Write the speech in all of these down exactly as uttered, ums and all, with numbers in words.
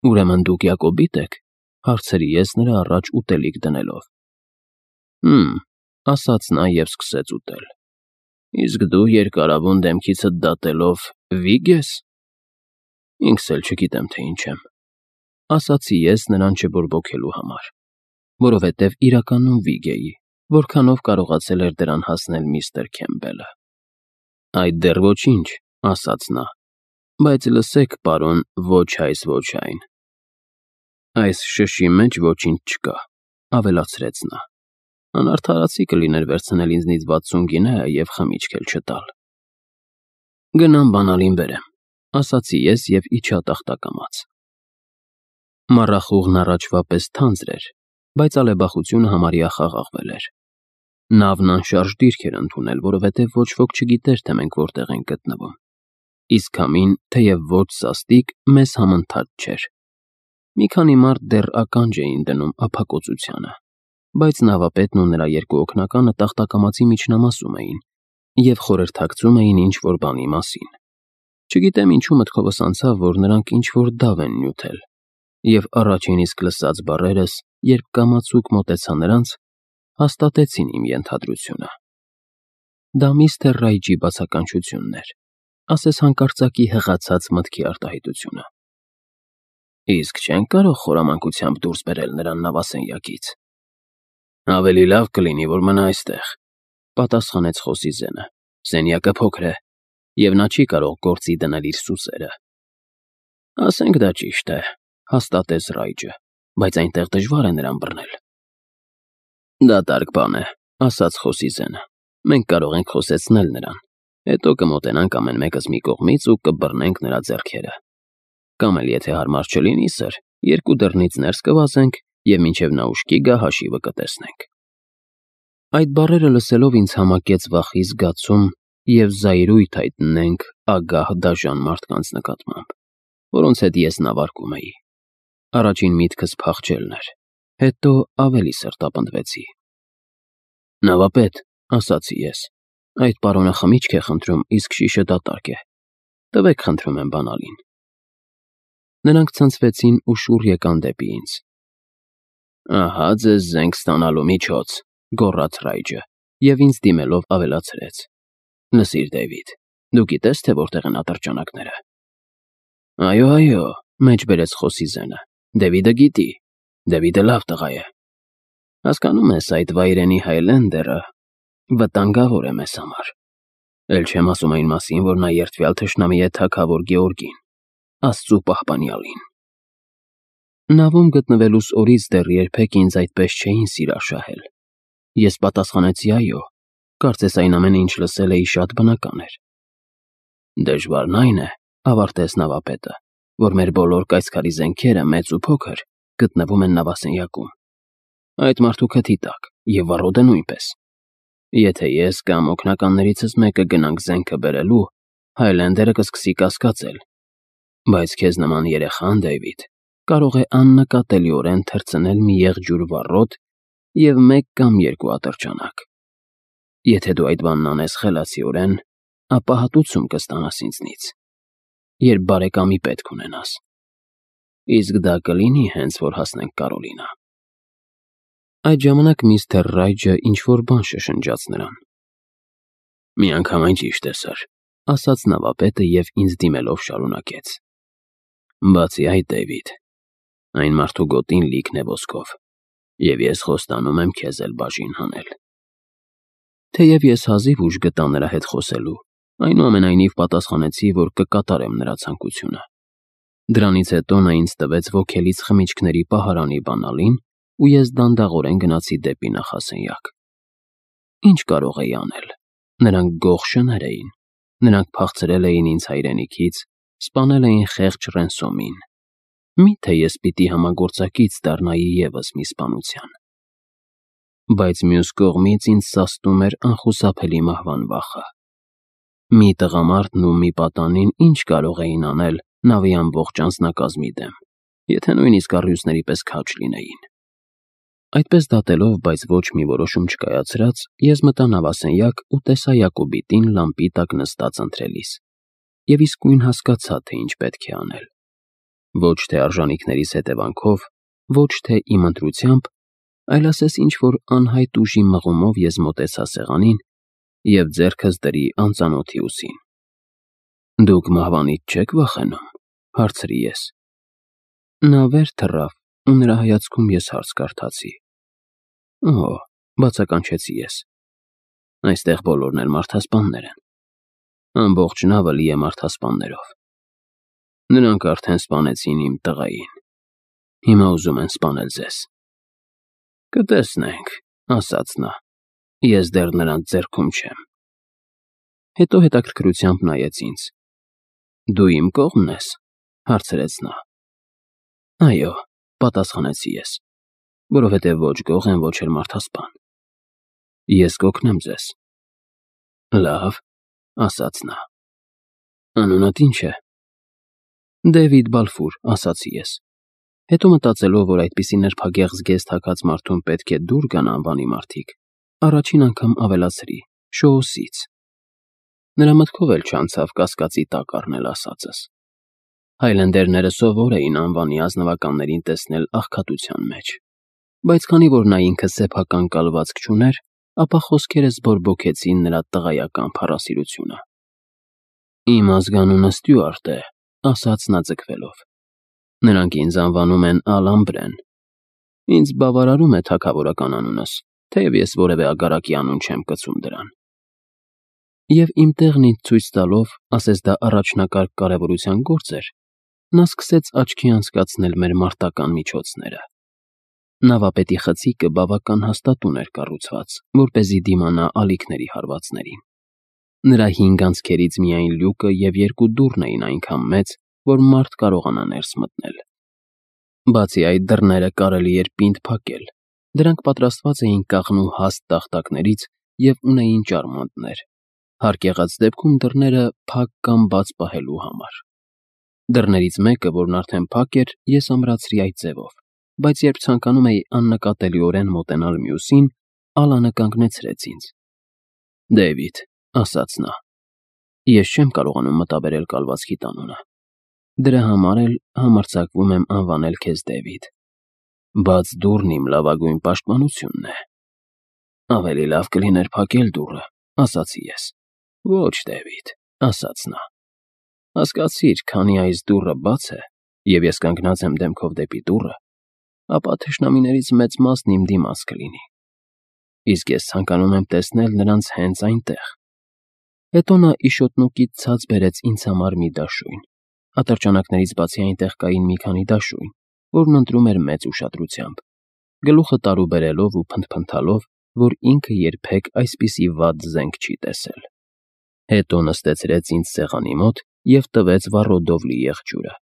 Ուրեմն դուք Յակոբի՞տ եք,֊ հարցրի ես նրա առաջ ուտելիք դնելով։ Հմ, ասաց նա և սկսեց ուտել։ Իսկ դու երկարավուն դեմքիցդ դատելով վի՞գ ես։ Ինքս էլ չգիտեմ, թե ինչ եմ,֊ ասացի ես նրան չբորբոքելու համար, որովհետև իրականում վիգ էի, որքանով կարողացել էր դրան հասնել միստր Քեմբելը։ Այդ դեռ ոչինչ,֊ ասաց նա,֊ բայց լսեք, պարոն, ոչ այս, ոչ այն։ Այս շշի մեջ ոչինչ չկա,֊ ավելացրեց նա։ Անարդարացի կլիներ վերցնել ինձնից վաթսուն գինե և խմիչք էլ չտալ։ Գնամ բանալին բերեմ,֊ ասացի ես և իջա տախտակամաց։ Մառախուղն առաջվա պես թանձր էր, բայց ալեբախությունը համարյա խաղաղվել էր։ Նավն անշարժ դիրք էր ընդունել, որովհետև ոչ ոք չգիտեր, թե մենք որտեղ ենք գտնվում, իսկ քամին, թեև ոչ սաստիկ, մեզ համընթաց չէր։ Մի քանի մարդ դեռ ականջ էին դնում ափակոծությանը, բայց նավապետն ու նրա երկու օգնականը տախտակամածի միջնամասում էին և խորհրդակցում էին ինչ-որ բանի մասին։ Չգիտեմ ինչու մտքովս անցավ, որ նրանք ինչ-որ դավ են նյութել, և առաջին իսկ լսած բառերս, երբ կամացուկ մոտեցա նրանց, հաստատեցին իմ ենթադրությունը։ Դա միստր Ռայջի բացականչությունն էր, ասես հանկարծակի հղացած մտքի արտահայտությունը։ Իսկ չենք կարող խորամանկությամբ դուրս բերել նրան նավասենյակից։ Ավելի լավ կլինի, որ մնա այստեղ,֊ պատասխանեց խոսի զենը, սենյակը փոքր է, և նա չի կարող գործի դնել իր սուսերը։ Ասենք դա ճիշտ է,֊ հաստատեց Ռայջը, բայց այնտեղ դժվար է նրան բռնել։ Դատարկ բան է,֊ ասաց խոսի զենը, մենք կարող ենք խոսեցնել նրան, հետո կմոտենանք ամեն մեկս մի կողմից ու կբռնենք նրա ձեռքերը։ Կամ էլ եթե հարմար չլինի, սըր, երկու դռնից ներս կվազենք և մինչև նա ուշքի գա, հաշիվը կտեսնենք։ Այդ բառերը լսելով ինձ համակեց վախի զգացում և զայրույթ հայտնենք ագահ դաժան մարդկանց նկատմամբ, որոնց հետ ես նավարկում էի։ Առաջին միտքս փախչելն էր, հետո ավելի սրտապնդվեցի։ Նավապետ,֊ ասացի ես,֊ այդ պարոնը խմիչք է խնդրում, իսկ շիշը դատարկ է։ Տվեք, խնդրում եմ, բանալին։ Նրանք ցնցվեցին ու շուռ եկան դեպի ինձ։ Ահա ձեզ զենք ստանալու միջոց,֊ գոռաց Ռայջը և ինձ դիմելով ավելացրեց. Լսիր, Դեյվիդ, դու գիտե՞ս, թե որտեղ են ատրճանակները։ Այո, այո,֊ մեջ բերեց խոսի զենը, Դեվիդը գիտի, Դեվիդը լավ տղա է։ Հասկանում ես, այդ վայրենի Հայլենդերը վտանգավոր է մեզ համար։ Էլ չեմ ասում այն մասին, որ նա երդվյալ թշնամի է թագավոր Գեորգին, Աստծու պահպանյալին։ Նավում գտնվելուս օրից դեռ երբեք ինձ այդպես չէին սիրաշահել։ Ես պատասխանեցի այո, կարծես այն ամենը, ինչ լսել էի, շատ բնական էր։ Դժվարն այն է, ավարտեց նավապետը, որ մեր բոլոր կայծքարի զենքերը, մեծ ու փոքր, գտնվում են նավասենյակում։ Այդ մարդու քթի տակ և վառոդը նույնպես։ Եթե ես կամ օգնականներիցս մեկը գնանք զենքը բերելու, Հայլենդերը կսկսի կասկածել։ Բայց քեզ նման երեխան, Դեյվիդ, կարող է աննկատելիորեն թռցնել մի եղջյուր վառոդ և մեկ կամ երկու ատրճանակ։ Եթե դու այդ բանն անես խելացիորեն, ապա հատուցում կստանաս ինձնից, երբ բարեկամի պետք ունենաս։ Իսկ դա կլինի, հենց որ հասնենք Կարոլինա։ Այդ ժամանակ միստր Ռայջը ինչ-որ բան շշնջաց նրան։ Միանգամայն ճիշտ է, սըր, ասաց նավապետը և ինձ դիմելով շարունակեց. Բացի այդ, Դեյվիդ, այն մարդու գոտին լիքն է ոսկով, և ես խոստանում եմ քեզ էլ բաժին հանել։ Թեև ես հազիվ ուժ գտա նրա հետ խոսելու, այնուամենայնիվ պատասխանեցի, որ կկատարեմ նրա ցանկությունը։ Դրանից հետո նա ինձ տվեց ոգելից խմիչքների պահարանի բանալին, ու ես դանդաղորեն գնացի դեպի նախասենյակ։ Ինչ կարող էի անել։ Նրանք գող շներ էին, նրանք փախցրել էին ինձ հայրենիքից, սպանել էին խեղճ Ռենսոմին։ Մի՞թե ես պիտի համագործակից դառնայի ևս մի սպանության։ Բայց մյուս կողմից ինձ սաստում էր անխուսափելի մահվան վախը։ Մի տղամարդն ու մի պատանին ինչ կարող էին անել նավի ամբողջ անձնակազմի դեմ, եթե նույնիսկ առյուծների պես քաջ լինեին։ Այդպես դատելով, բայց ոչ մի որոշում չկայացրած, ես մտա նավասենյակ ու տեսա Յակոբիտին լամպի տակ նստած ընթրելիս, և իսկույն հասկացա, թե ինչ պետք է անել։ Ոչ թե արժանիքներիս հետևանքով, ոչ թե իմ ընտրությամբ, այլ ասես ինչ-որ անհայտ ուժի մղումով ես մոտեցա սեղանին և ձեռքս դրի անծանոթի ուսին։ «Դուք մահվանից չե՞ք վախենում», հարցրի ես։ Նա վեր թռավ, ու նրա հայացքում ես հարց կարդացի։ «Օ՜», բացականչեցի ես, «այստեղ բոլորն էլ մարդասպաններ են։ Ամբողջ նավը լի է մարդասպաններով։ Նրանք արդեն սպանեցին իմ տղային, հիմա ուզում են սպանել ձեզ»։ «Կտեսնենք», ասաց նա, «ես դեռ նրանց ձեռքում չեմ»։ Հետո հետաքրքրությամբ նայեց ինձ։ «Դու իմ կողմն ես», հարցրեց նա։ «Այո», պատասխանեցի ես, որովհետև ոչ գող եմ, ոչ էլ մարդասպան։ «Ես կօգնեմ ձեզ»։ «Լավ», ասաց նա։ «Անունդ ի՞նչ է»։ «Դեվիդ Բալֆուր», ասացի ես։ Հետո մտածելով, որ այդպիսի նրբագեղ զգեստ հագած մարդուն պետք է դուր գան անվանի մարդիկ, առաջին անգամ ավելացրի՝ Շոուսից։ Նրա մտքով էլ չանցավ կասկածի տակ առնել ասածս։ Հայլենդերները սովոր էին անվանի ազնվականներին տեսնել աղքատության մեջ, բայց քանի որ նա ինքը սեփական կալվածք չուներ, ապա խոսքերս բորբոքեցին նրա տղայական փառասիրությունը։ «Իմ ազգանունը Ստյուարտ է», ասաց նա ձգվելով։ «Նրանք ինձ անվանում են Ալամբրեն։ Ինձ բավարարում է թագավորական անունս, թեև ես որևէ ագարակի անուն չեմ կցում դրան»։ Եվ իմ տեղն ինձ ցույց տալով, ասես դա առաջնակարգ կարևորության գործ էր, նա սկսեց աչքի անցկացնել մեր մարտական միջոցները։ Նավապետի խցիկը բավական հաստատուն էր կառուցված, որպեսզի դիմանա ալիքների հարվածներին։ Նրա հինգ անցքերից միայն լյուկը և երկու դուռն էին այնքան մեծ, որ մարդ կարողանա ներս մտնել։ Բացի այդ, դռները կարելի էր պինդ փակել, դրանք պատրաստված էին կաղնու հաստ տախտակներից և ունեին ճարմանտներ, հարկ եղած դեպքում դռները փակ կամ բաց պահելու համար։ Դռներից մեկը, որն արդեն փակ էր, ես ամրացրի այդ ձևով, բայց երբ ցանկանում էի աննկատելիորեն մոտենալ մյուսին, Ալանը կանգնեցրեց ինձ։ «Դեյվիդ», ասաց նա, «ես չեմ կարողանում մտաբերել կալվածքիդ անունը։ Դրա համար էլ համարձակվում եմ անվանել քեզ Դեվիդ։ Բաց դուռն իմ լավագույն պաշտպանությունն է»։ «Ավելի լավ կլիներ փակել դուռը», ասացի ես։ «Ոչ, Դեվիդ», ասաց նա, «հասկացիր, քանի այս դուռը բաց է, և ես կանգնած եմ դեմքով դեպի դուռը, ապա թշնամիներից մեծ մասն իմ դիմաց կլինի։ Իսկ ես ցանկանում եմ տեսնել նրանց հենց այնտեղ»։ Հետո նա իշոտնուկից ցած բերեց ինձ համար մի դաշույն։ Ատրճանակներից բացի այնտեղ կային մի քանի դաշույն, որն ընտրում էր մեծ ուշադրությամբ, գլուխը տարուբերելով ու փնթփնթալով, որ ինքը երբեք այսպիսի վատ զենք չի տեսել։ Հետո նստեցրեց ինձ սեղանի մոտ և տվեց վառոդով լի եղջյուրը,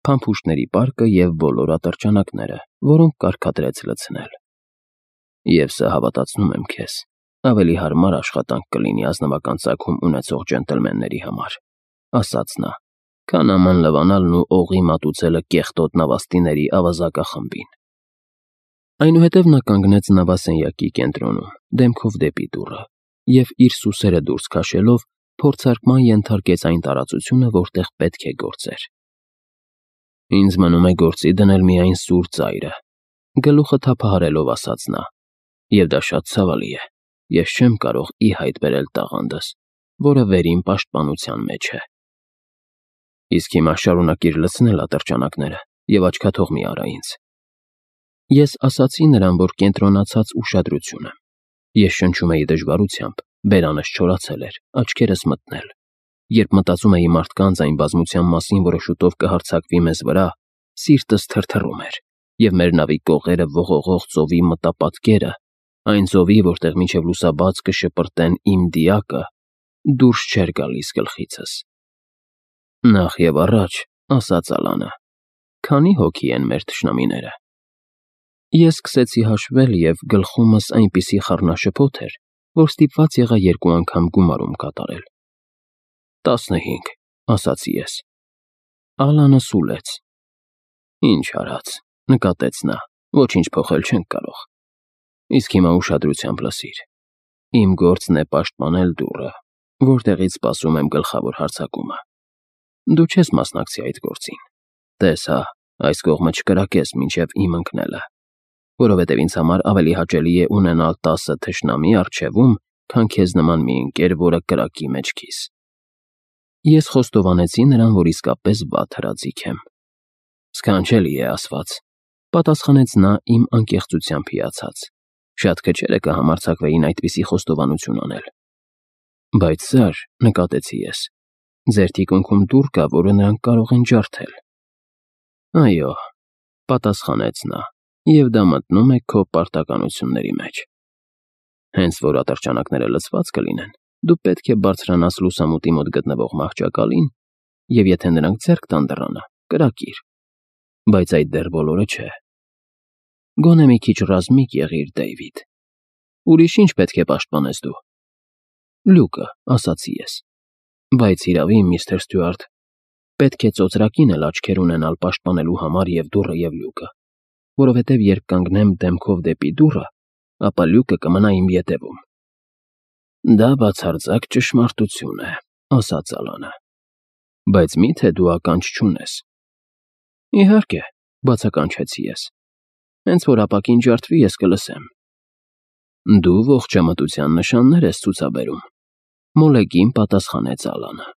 փամփուշտների պարկը և բոլոր ատրճանակները, որոնք կարգադրեց լցնել։ «Եվ սա, հավատացնում եմ քեզ, ավելի հարմար աշխատանք կլինի ազնվական ծագում ունեցող ջենտլմենների համար», ասաց նա, «քան աման լվանալն ու օղի մատուցելը կեղտոտ նավաստիների ավազակախմբին»։ Այնուհետև նա կանգնեց նավասենյակի կենտրոնում, դեմքով դեպի դուռը, և իր սուսերը դուրս քաշելով, փորձարկման ենթարկեց այն տարածությունը, որտեղ պետք է գործեր։ «Ինձ մնում է գործի դնել միայն սուր ծայրը», գլուխը թափահարելով ասաց նա, «և դա շատ ցավալի է, ես չեմ կարող ի հայտ բերել տաղանդս, որը վերին պաշտպանության մեջ է։ Իսկ հիմա շարունակիր լցնել ատրճանակները և աչքաթող մի արա ինձ»։ Ես ասացի նրան, որ կենտրոնացած ուշադրություն եմ։ Ես շնչում էի դժվարությամբ, բերանս չորացել էր, աչքերս մթնել։ Երբ մտածում էի մարդկանց այն բազմության մասին, որը շուտով կհարձակվի մեզ վրա, սիրտս թրթռում էր, և մեր նավի կողերը ողողող ծովի մտապատկերը, այն ծովի, որտեղ մինչև լուսաբաց կշպրտեն իմ դիակը, դուրս չէր գալիս գլխիցս։ «Նախ և առաջ», ասաց Ալանը, «քանի հոգի են մեր թշնամիները»։ Ես սկսեցի հաշվել, և գլխումս այնպիսի խառնաշփոթ էր, որ ստիպված եղա երկու անգամ գումարում կատարել։ «Տասնհինգ», ասացի ես։ Ալանը սուլեց։ «Ինչ արած», նկատեց նա, «ոչինչ փոխել չենք կարող։ Իսկ հիմա ուշադրությամբ լսիր։ Իմ գործն է պաշտպանել դուռը, որտեղից սպասում եմ գլխավոր հարձակումը։ Դու չես մասնակցի այդ գործին։ Տես հա, այս կողմը չկրակես մինչև իմ ընկնելը, որովհետև ինձ համար ավելի հաճելի է ունենալ տասը թշնամի առջևում, քան քեզ նման մի ընկեր, որը կրակի մեջքիս։ Ես խոստովանեցի նրան, որ իսկապես վատ հրաձիգ եմ։ Սքանչելի է ասված, պատասխանեց նա իմ անկեղծությամբ հիացած։ Շատ քչերը կհամարձակվեին այդպիսի խոստովանություն անել։ Բայց սար, նկատեցի ես, ձեր թիկունքում դուռ կա, որը նրանք կարող են ջարդել։ Այո, պատասխանեց նա, և դա մտնում է քո պարտականությունների մեջ։ Հենց որ ատրճանակները լցված կլինեն, դու պետք է բարձրանաս լուսամուտի մոտ գտնվող մահճակալին, և եթե նրանք ձեռք տան դռանը, կրակիր։ Բայց այդ դեռ բոլորը չէ։ Գոնե մի քիչ ռազմիկ եղիր, Դեյվիդ։ Ուրիշ ինչ պետք է պաշտպանես դու։ Լյուկը, ասացի ես։ Բայց հիրավի, միստր Ստյուարտ, պետք է ծոծրակին էլ աչքեր ունենալ պաշտպանելու համար և դուռը, և լյուկը, որովհետև երբ կանգնեմ դեմքով դեպի դուռը, ապա լյուկը կմնա իմ ետևում։ Դա բացարձակ ճշմարտություն է, ասաց Ալանը։ Բայց մի՞թե դու ականջ չունես։ Իհարկե, բացականչեցի ես։ Հենց որ ապակին ջարդվի, ես կլսեմ։ Դու ողջամտության նշաններ ես ցուցաբերում, մոլեգին պատասխանեց Ալանը։